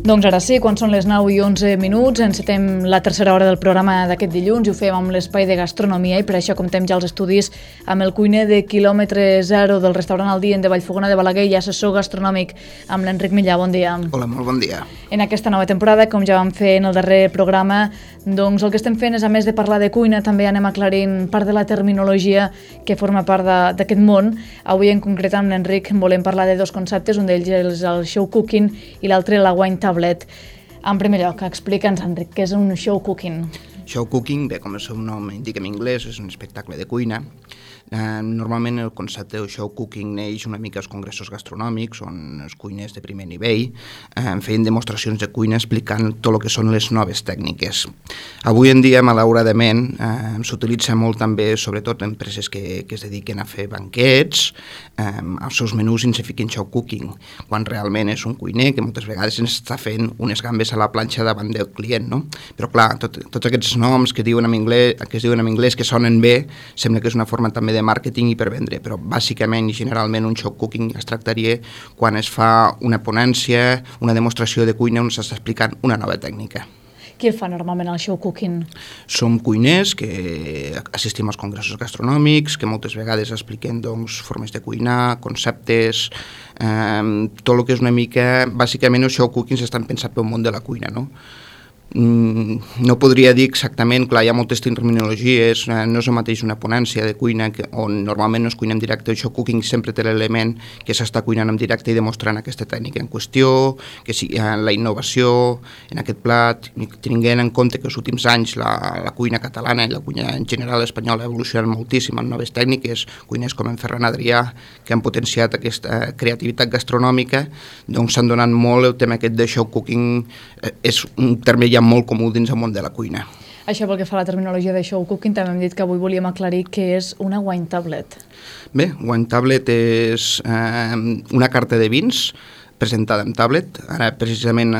Doncs ara sí, quan són les 9:11, encetem la tercera hora del programa d'aquest dilluns i ho fem amb l'espai de gastronomia i per això comptem ja els estudis amb el cuiner de quilòmetre zero del restaurant El Dient de Vallfogona de Balaguer i assessor gastronòmic amb l'Enric Millà. Bon dia. Hola, molt bon dia. En aquesta nova temporada, com ja vam fer en el darrer programa, doncs el que estem fent és, a més de parlar de cuina, també anem aclarint part de la terminologia que forma part d'aquest món. Avui en concret amb l'Enric volem parlar de dos conceptes, un d'ells és el show cooking i l'altre la wine tablet. En primer lloc, explica'ns, Enric, què és un show cooking? Show cooking, bé, com el seu nom indica en anglès, és un espectacle de cuina. Normalment el concepte de show cooking neix una mica als congressos gastronòmics, on els cuiners de primer nivell feien demostracions de cuina explicant tot el que són les noves tècniques. Avui en dia, malauradament, s'utilitza molt també, sobretot empreses que es dediquen a fer banquets, als seus menús ens fiquen show cooking, quan realment és un cuiner que moltes vegades ens està fent unes gambes a la planxa davant del client, no? Però clar, tots aquests noms que es diuen en anglès que sonen bé, sembla que és una forma també de màrqueting i per vendre, però bàsicament i generalment un show cooking es tractaria quan es fa una ponència, una demostració de cuina on s'està explicant una nova tècnica. Qui el fa normalment el show cooking? Som cuiners que assistim als congressos gastronòmics, que moltes vegades expliquem doncs, formes de cuinar, conceptes, tot el que és una mica... Bàsicament els show cooking estan pensats pel món de la cuina, no? No podria dir exactament, clar, hi ha moltes terminologies, no és el mateix una ponència de cuina on normalment no es cuina en directe. El show cooking sempre té l'element que s'està cuinant en directe i demostrant aquesta tècnica en qüestió, que sigui la innovació en aquest plat, tenint en compte que els últims anys la cuina catalana i la cuina en general espanyola ha evolucionat moltíssim amb noves tècniques, cuiners com en Ferran Adrià, que han potenciat aquesta creativitat gastronòmica, doncs s'han donat molt el tema aquest de show cooking, és un terme ja molt comú dins el món de la cuina. Això pel que fa a la terminologia de show cooking, també hem dit que avui volíem aclarir què és una wine tablet. Bé, wine tablet és una carta de vins presentada en tablet. Ara, precisament,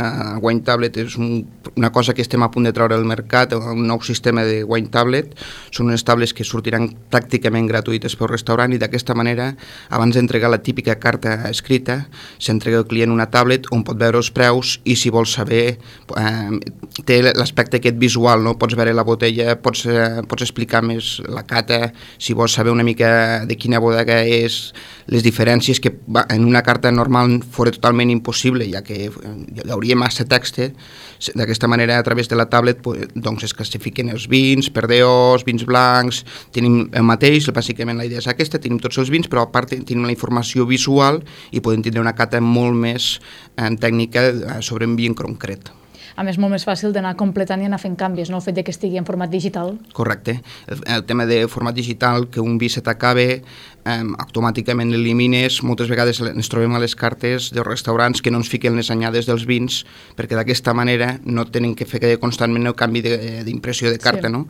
Wine Tablet és una cosa que estem a punt de treure al mercat, un nou sistema de Wine Tablet. Són unes tablets que sortiran pràcticament gratuïtes pel restaurant i d'aquesta manera, abans d'entregar la típica carta escrita, s'entrega al client una tablet on pot veure els preus i, si vol saber, té l'aspecte aquest visual, no? Pots veure la botella, pots explicar més la cata, si vols saber una mica de quina bodega és, les diferències que en una carta normal fora totalment impossible, ja que hi hauria massa text. D'aquesta manera, a través de la tablet, doncs es classifiquen els vins, perdeós, vins blancs, tenim el mateix, bàsicament la idea és aquesta, tenim tots els vins, però a part tenim la informació visual i podem tindre una cata molt més tècnica sobre un vi en concret. A més, molt més fàcil d'anar completant i anar fent canvis, no? El fet que estigui en format digital. Correcte. El tema de format digital, que un vi se t'acabe, automàticament l'elimines. Moltes vegades ens trobem a les cartes dels restaurants que no ens fiquen les anyades dels vins, perquè d'aquesta manera no tenen que fer constantment el canvi d'impressió de carta, sí. No?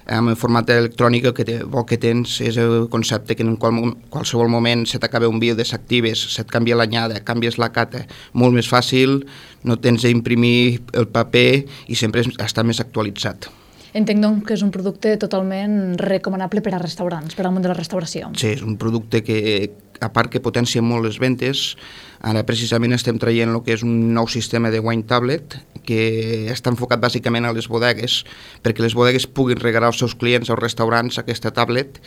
Amb el format electrònic el que tens és el concepte que en qualsevol moment se t'acaba un vi, el desactives, se't canvia l'anyada, canvies la cata, molt més fàcil, no tens d'imprimir el paper i sempre està més actualitzat. Entenc doncs que és un producte totalment recomanable per a restaurants, per al món de la restauració. Sí, és un producte que, a part que potencia molt les ventes, ara precisament estem traient el que és un nou sistema de wine tablet que està enfocat bàsicament a les bodegues, perquè les bodegues puguin regalar als seus clients, als restaurants, aquesta tablet.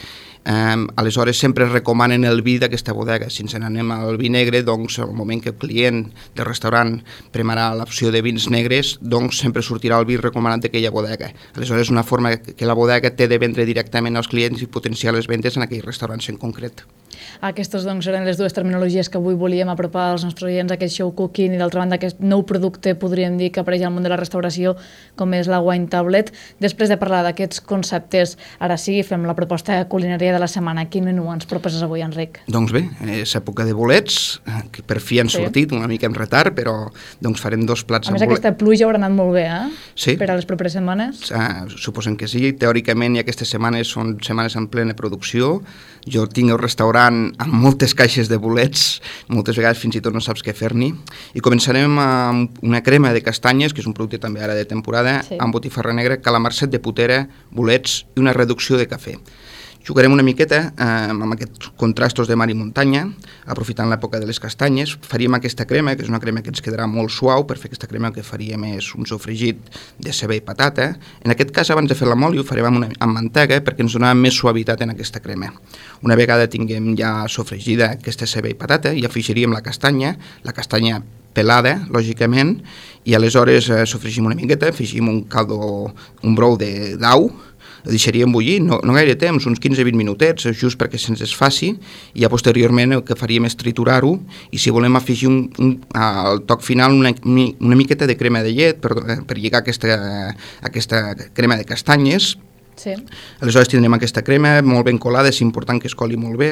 Aleshores sempre recomanen el vi d'aquesta bodega. Si ens n'anem al vi negre, doncs al moment que el client del restaurant premarà l'opció de vins negres, doncs sempre sortirà el vi recomanat d'aquella bodega. Aleshores és una forma que la bodega té de vendre directament als clients i potenciar les ventes en aquells restaurants en concret. Aquestes doncs eren les dues terminologies que avui volíem apropar als nostres oients, aquest show cooking i d'altra banda aquest nou producte, podríem dir, que apareix al món de la restauració, com és la wine tablet. Després de parlar d'aquests conceptes, ara sí, fem la proposta culinària de la setmana. Quin menú ens proposes avui, Enric? Doncs bé, és època de bolets, que per fi han sortit, una mica en retard, però doncs farem dos plats amb bolets. A més, aquesta pluja haurà anat molt bé, Sí. Per a les properes setmanes? Suposem que sí. Teòricament, i aquestes setmanes són setmanes en plena producció. Jo tinc el restaurant amb moltes caixes de bolets, moltes vegades fins i tot no saps què fer-n'hi. I començarem amb una crema de castanyes, que és un producte també ara de temporada, sí. Amb botifarra negra, calamarset de potera, bolets i una reducció de cafè. Jugarem una miqueta amb aquests contrastos de mar i muntanya, aprofitant l'època de les castanyes. Faríem aquesta crema, que és una crema que ens quedarà molt suau. Per fer aquesta crema el que faríem és un sofregit de ceba i patata. En aquest cas, abans de fer la moli, ho farem amb mantega perquè ens donarà més suavitat en aquesta crema. Una vegada tinguem ja sofregida aquesta ceba i patata, hi afegiríem la castanya pelada, lògicament, i aleshores sofregim una miqueta, afegim un brou d'au, el deixaríem bullir, no gaire temps, uns 15-20 minutets, just perquè se'ns desfaci, i ja posteriorment el que faríem és triturar-ho, i si volem afegir al toc final una miqueta de crema de llet per lligar aquesta crema de castanyes. Sí. Aleshores tindrem aquesta crema molt ben colada, és important que es coli molt bé.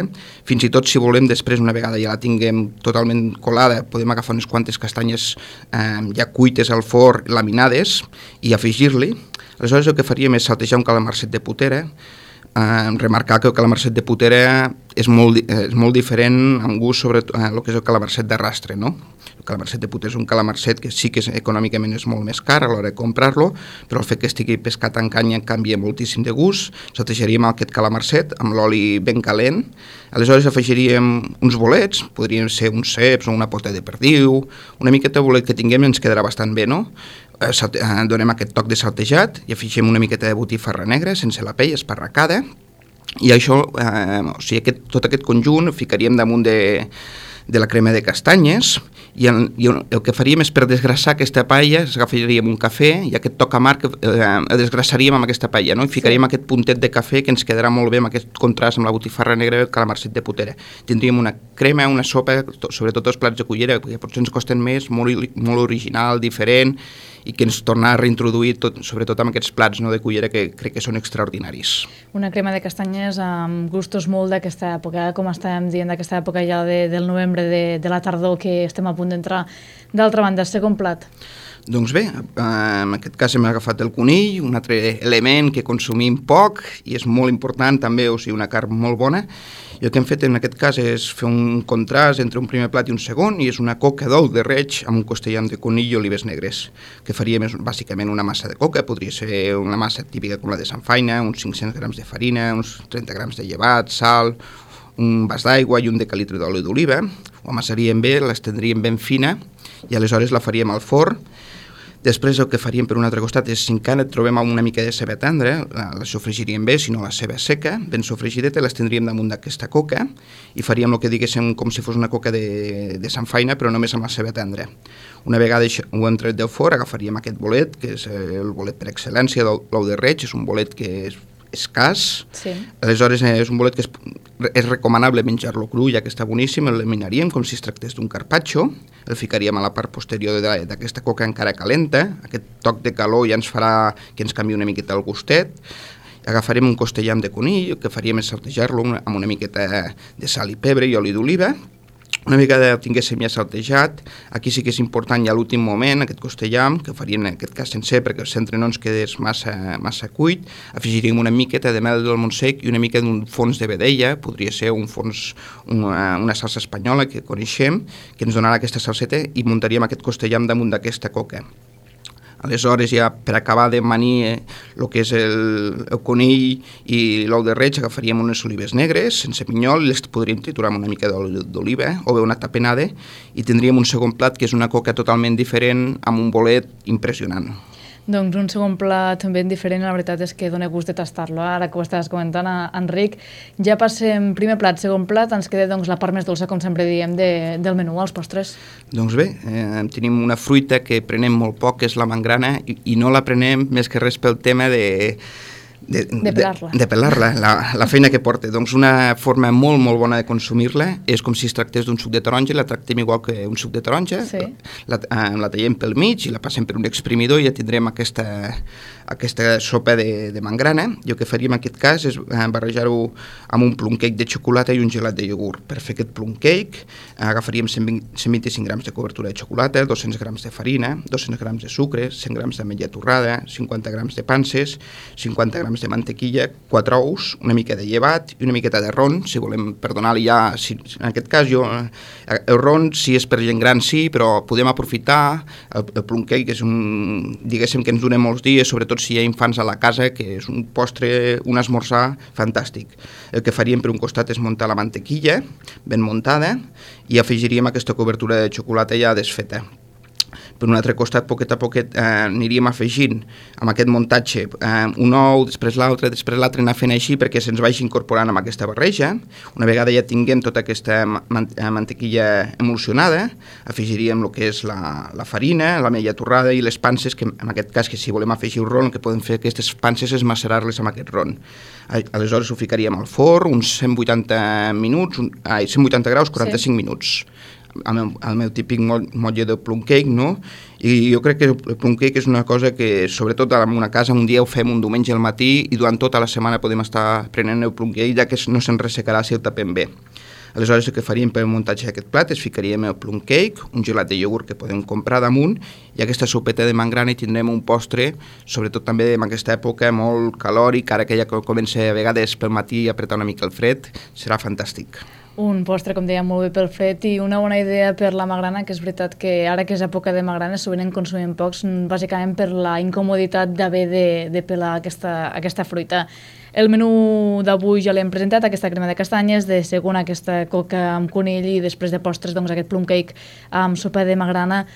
Fins i tot si volem després, una vegada ja la tinguem totalment colada, podem agafar unes quantes castanyes ja cuites al forn, laminades, i afegir-li. Aleshores el que faríem és saltejar un calamarset de putera, remarcar que el calamarset de putera és molt diferent en gust sobre el que és el calamarset d'arrastre, no? El calamarset de putera és un calamarset que sí que econòmicament és molt més car a l'hora de comprar-lo, però el fet que estigui pescat en canya canvia moltíssim de gust. Saltejaríem aquest calamarset amb l'oli ben calent, aleshores afegiríem uns bolets, podrien ser uns ceps o una pota de perdiu, una miqueta de bolet que tinguem ens quedarà bastant bé, no? Donem aquest toc de saltejat i afegim una miqueta de botifarra negra sense la pell, esparracada, i això, tot aquest conjunt ho ficaríem damunt de la crema de castanyes, i el que faríem és, per desgrassar aquesta paella, agafaríem un cafè i aquest toc amarg el desgrassaríem amb aquesta paella, no? I ficaríem aquest puntet de cafè que ens quedarà molt bé amb aquest contrast amb la botifarra negra i el calamarset de putera. Tindríem una crema, una sopa, sobretot els plats de cullera, que potser ens costen més, molt original, diferent, i que ens torna a reintroduir, sobretot amb aquests plats de cullera que crec que són extraordinaris. Una crema de castanyes amb gustos molt d'aquesta època, com estàvem dient, d'aquesta època ja del novembre, de la tardor, que estem a punt d'entrar. D'altra banda, segon plat. Doncs bé, en aquest cas hem agafat el conill, un altre element que consumim poc i és molt important també, o sigui, una carn molt bona. I el que hem fet en aquest cas és fer un contrast entre un primer plat i un segon, i és una coca d'ou de reig amb un costellam de conill i olives negres. Que faríem és bàsicament una massa de coca, podria ser una massa típica com la de Samfaina, uns 500 grams de farina, uns 30 grams de llevat, sal, un vas d'aigua i un decalitre d'oli d'oliva. Ho amassaríem bé, l'estendríem ben fina i aleshores la faríem al forn. Després el que faríem per un altre costat és, si encara trobem una mica de ceba tendra, la sofregiríem bé, si no la ceba seca, ben sofregideta, l'estendríem damunt d'aquesta coca i faríem el que diguéssim com si fos una coca de Samfaina, però només amb la ceba tendra. Una vegada ho hem tret del forn, agafaríem aquest bolet, que és el bolet per excel·lència, l'ou de reig, és un bolet que és escàs, sí. Aleshores és un bolet que és recomanable menjar-lo cru, ja que està boníssim, el laminaríem com si es tractés d'un carpaccio, el ficaríem a la part posterior d'aquesta coca encara calenta, aquest toc de calor ja ens farà que ens canvi una miqueta el gustet. Agafarem un costellam de conill, el que faríem és saltejar-lo amb una miqueta de sal i pebre i oli d'oliva. Una vegada el tinguéssim ja saltejat, aquí sí que és important ja l'últim moment, aquest costellam, que faríem en aquest cas sencer perquè el centre no ens quedés massa cuit, afegiríem una miqueta de mel del Montsec i una mica d'un fons de vedella, podria ser una salsa espanyola que coneixem, que ens donarà aquesta salseta, i muntaríem aquest costellam damunt d'aquesta coca. Aleshores, ja per acabar de manir el que és el conill i l'ou de reig, agafaríem unes olives negres sense pinyol, les podríem triturar amb una mica d'oli d'oliva o bé una tapenada, i tindríem un segon plat que és una coca totalment diferent amb un bolet impressionant. Doncs un segon plat ben diferent, la veritat és que dona gust de tastar-lo. Ara que ho estaves comentant, Enric, ja passem primer plat, segon plat, ens queda doncs, la part més dolça, com sempre diem, del menú, els postres. Doncs bé, tenim una fruita que prenem molt poc, que és la mangrana, i no la prenem més que res pel tema de pelar-la, la feina que porta. Doncs una forma molt, molt bona de consumir-la és com si es tractés d'un suc de taronja, la tractem igual que un suc de taronja, sí. La tallem pel mig i la passem per un exprimidor i ja tindrem aquesta sopa de mangrana. I el que faríem en aquest cas és barrejar-ho amb un plum cake de xocolata i un gelat de iogurt. Per fer aquest plum cake agafaríem 125 grams de cobertura de xocolata, 200 grams de farina, 200 grams de sucre, 100 grams d'ametlla torrada, 50 grams de panses, 50 grams de mantequilla, 4 ous, una mica de llevat i una miqueta de ron, si volem perdonar-li ja, en aquest cas el ron si és per gent gran sí, però podem aprofitar el plum cake, que és diguéssim que ens dona molts dies, sobretot si hi ha infants a la casa, que és un postre, un esmorzar fantàstic. El que faríem per un costat és muntar la mantequilla, ben muntada, i afegiríem aquesta cobertura de xocolata ja desfeta. Per un altre costat, poquet a poquet, aniríem afegint amb aquest muntatge un ou, després l'altre, anar fent així perquè se'ns vagi incorporant amb aquesta barreja. Una vegada ja tinguem tota aquesta mantequilla emulsionada, afegiríem el que és la farina, l'ametlla torrada i les panses, que en aquest cas, que si volem afegir un ron, el que podem fer aquestes panses és macerar-les amb aquest ron. Aleshores ho ficaríem al forn, uns 180 graus, 45 minuts. El meu típic motlle de plum cake, no? I jo crec que el plum cake és una cosa que, sobretot en una casa, un dia ho fem un diumenge al matí i durant tota la setmana podem estar prenent el plum cake, ja que no se'n ressecarà si el tapem bé. Aleshores, el que faríem per el muntatge d'aquest plat és ficaríem el plum cake, un gelat de iogurt que podem comprar damunt, i aquesta sopeta de mangrana, i tindrem un postre, sobretot també en aquesta època, molt calòric, ara que ja comença a vegades pel matí a apretar una mica el fred, serà fantàstic. Un postre, com deia, molt bé pel fred i una bona idea per la magrana, que és veritat que ara que és època de magrana sovint en consumim pocs, bàsicament per la incomoditat d'haver de pelar aquesta fruita. El menú d'avui ja l'hem presentat, aquesta crema de castanyes, de segon aquesta coca amb conill i després de postres doncs, aquest plum cake amb sopa de magrana.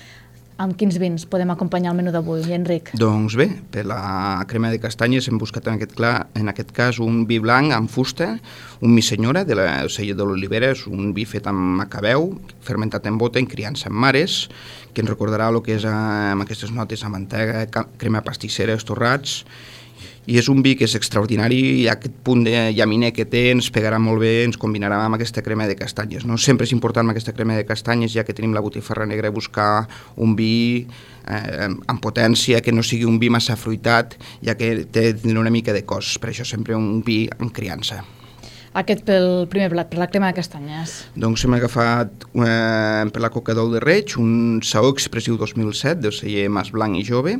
Amb quins vins podem acompanyar el menú d'avui, Enric? Doncs bé, per la crema de castanyes hem buscat en aquest cas un vi blanc amb fusta, un mi senyora de la Cella de l'Olivera, és un vi fet amb macabeu, fermentat en bota, en criança en mares, que ens recordarà el que és amb aquestes notes de mantega, crema pastissera, estorrats, i és un vi que és extraordinari i aquest punt de llaminer que té ens pegarà molt bé, ens combinarà amb aquesta crema de castanyes. No? Sempre és important amb aquesta crema de castanyes, ja que tenim la botifarra negra, buscar un vi amb potència, que no sigui un vi massa fruitat, ja que té una mica de cos, per això sempre un vi amb criança. Aquest pel primer plat, per la crema de castanyes. Doncs hem agafat per la coca d'ou de reig un Saó Expressiu 2007 del celler Mas Blanc i Jove.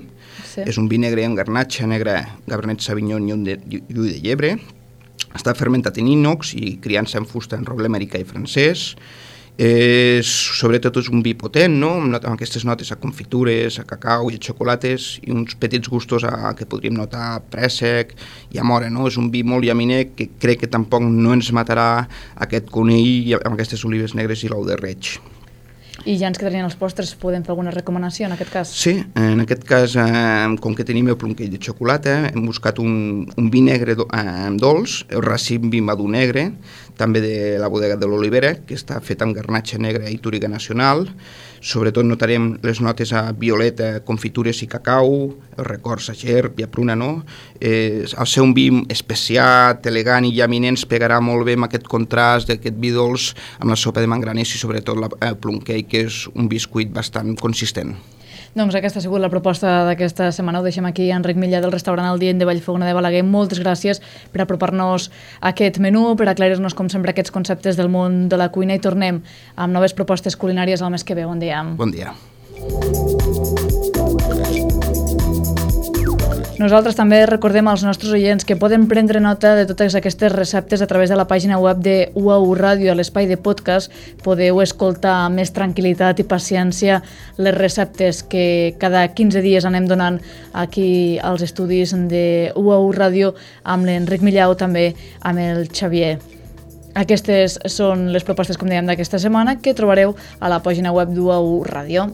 Sí. És un vi negre amb garnatxa negra, Cabernet Sauvignon i ull de llebre. Està fermentat en inox i criança en fusta en roble americà i francès. Sobretot és un vi potent, no? Amb aquestes notes a confitures, a cacau i a xocolates i uns petits gustos que podríem notar a préssec i a mora, no? És un vi molt llaminer que crec que tampoc no ens matarà aquest conill amb aquestes olives negres i l'ou de reig. I ja ens quedarien els postres, podem fer alguna recomanació en aquest cas? Sí, en aquest cas, com que tenim el plum cake de xocolata, hem buscat un vi negre dolç, el racim vi madur negre, també de la bodega de l'Olivera, que està fet amb garnatxa negra i túriga nacional. Sobretot notarem les notes a violeta, confitures i cacau, els records a gerb i a pruna, no? Al ser un vi especiat, elegant i llaminer ens pegarà molt bé amb aquest contrast d'aquest vi dolç amb la sopa de mangranes i sobretot el plum cake, que és un biscuit bastant consistent. Doncs aquesta ha sigut la proposta d'aquesta setmana. Ho deixem aquí, Enric Millà, del restaurant El Dient de Vallfogona de Balaguer. Moltes gràcies per apropar-nos a aquest menú, per aclarir-nos, com sempre, aquests conceptes del món de la cuina, i tornem amb noves propostes culinàries el mes que ve. Bon dia. Bon dia. Nosaltres també recordem als nostres oients que poden prendre nota de totes aquestes receptes a través de la pàgina web de UAU Ràdio. A l'espai de podcast podeu escoltar amb més tranquil·litat i paciència les receptes que cada 15 dies anem donant aquí als estudis de UAU Ràdio amb l'Enric Millau, també amb el Xavier. Aquestes són les propostes, com dèiem, d'aquesta setmana, que trobareu a la pàgina web d'UAU Ràdio.